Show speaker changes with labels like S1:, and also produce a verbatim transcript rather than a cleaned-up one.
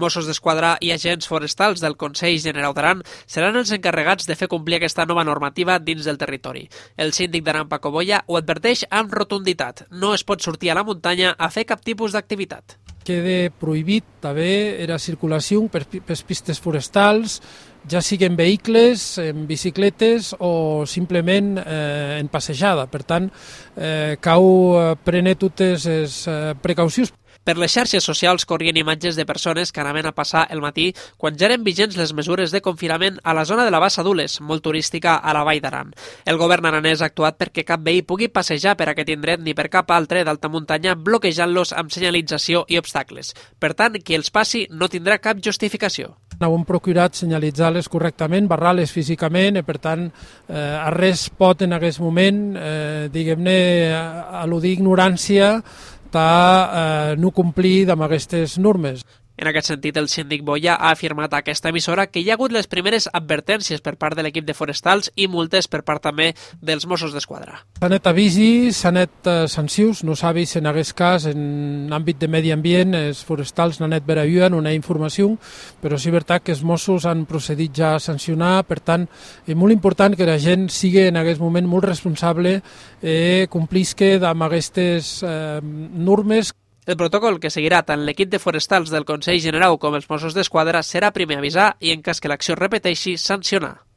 S1: Mossos d'Esquadra i agents forestals del Consell Generau d'Aran seran els encarregats de fer complir aquesta nova normativa dins del territori. El síndic d'Aran, Paco Boya, ho adverteix amb rotunditat. No es pot sortir a la muntanya a fer cap tipus d'activitat.
S2: Queda prohibit també la circulació per pistes forestals, ja siguin vehicles, en bicicletes o simplement eh, en passejada. Per tant, eh, cal prendre totes les eh, precaucions.
S1: Per les xarxes socials corrien imatges de persones que anaven a passar el matí quan ja eren vigents les mesures de confinament a la zona de la Bassa d'Ules, molt turística a la Vall d'Aran. El govern aranès ha actuat perquè cap veí pugui passejar per aquest indret ni per cap altre d'alta muntanya, bloquejant-los amb senyalització i obstacles. Per tant, qui els passi no tindrà cap justificació.
S2: Hem procurat senyalitzar-les correctament, barrar-les físicament, i per tant, eh, a res pot en aquest moment, eh, diguem-ne, al·ludir ignorància de eh, no complir amb aquestes normes.
S1: En aquest sentit, el síndic Boya ha afirmat a aquesta emissora que hi ha hagut les primeres advertències per part de l'equip de forestals i multes per part també dels Mossos d'Esquadra.
S2: S'han net avisi, s'han net eh, sancions, no s'ha vist en aquest cas en àmbit de medi ambient, els forestals n'han net veraviuen una informació, però sí és veritat que els Mossos han procedit ja a sancionar, per tant, és molt important que la gent sigui en aquest moment molt responsable i eh, complisca amb aquestes eh, normes.
S1: El protocol que seguirà tant l'equip de forestals del Consell Generau com els Mossos d'Esquadra serà primer avisar i, en cas que l'acció es repeteixi, sancionar.